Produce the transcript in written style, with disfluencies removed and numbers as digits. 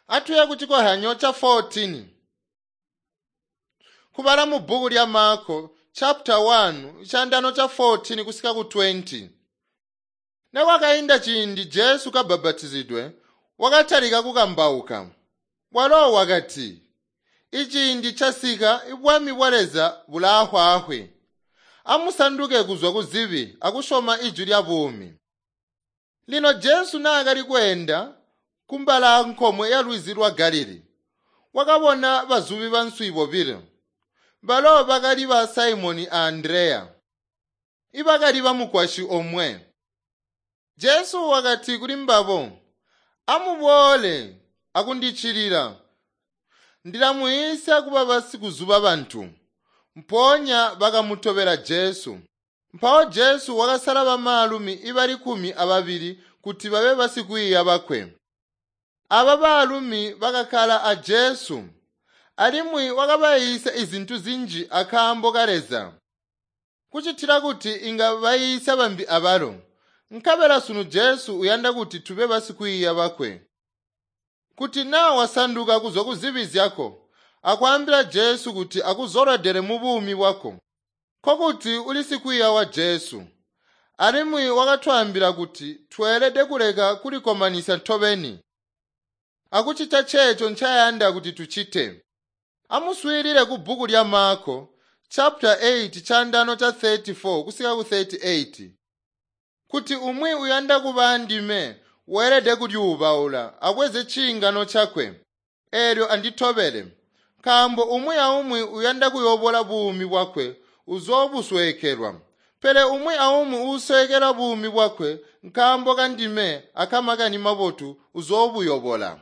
Atuye kuchikohyanyo cha 14. Kubala mu bhuku lya Marko chapter 1 chandano cha 14 kusika ku 20. Nekwakainda ciindi Jesu kabhabhatizidwe wakatalika kukambauka. Walo wakati, "Iciindi chasika ibwami bwa Leza bulaahwaahwi. Amusanduke kuzwa ku zibi akusyoma ijwi lya buumi." Lino Jesu naakali kweenda kumbala nkomwe ya lwizi lwa Galili, wakabona bazubi banswi bobilo. Balo bakali ba Simoni a Andreya, ibakali bamukwasyi omwe. Jesu wakati kuli mbabo, "Amuboole akundiccilila, ndilamuyiisya kuba basikuzuba bantu." Mpoonya bakamutobela Jesu. Mpawo Jesu wakasala bamaalumi ibali 12 kuti babe basikwiiya bakwe. Aba baalumi bakakkala a Jesu, alimwi wakabayiisya izintu zinji akaambo ka Leza, kucitila kuti inga bayiisya bambi abalo. Nkabela sunu Jesu uyanda kuti tube basikwiiya bakwe. Kuti naa wasanduka kuzwa ku zibi zyako, akwaambila Jesu kuti akuzolwedele mu buumi bwako, nkokuti uli sikwiiya wa Jesu. Alimwi wakatwaambila kuti tweelede kuleka kulikkomanisya tobeni, akucita ceeco ncayanda kuti tucite. Amuswiilile ku bhuku lya Marko chapter 8 chandano cha 34 kusika ku 38. Kuti umwi uyanda kuba andime weelede kulyuubaula abweze ciingano cakwe, eelyo anditobele. Nkaambo umwi aumwi uyanda kuyobola buumi bwakwe uzoobusweekelwa, pele umwi aumwi uusweekelwa buumi bwakwe nkaambo kandime akamakani mabotu uzoobuyobola.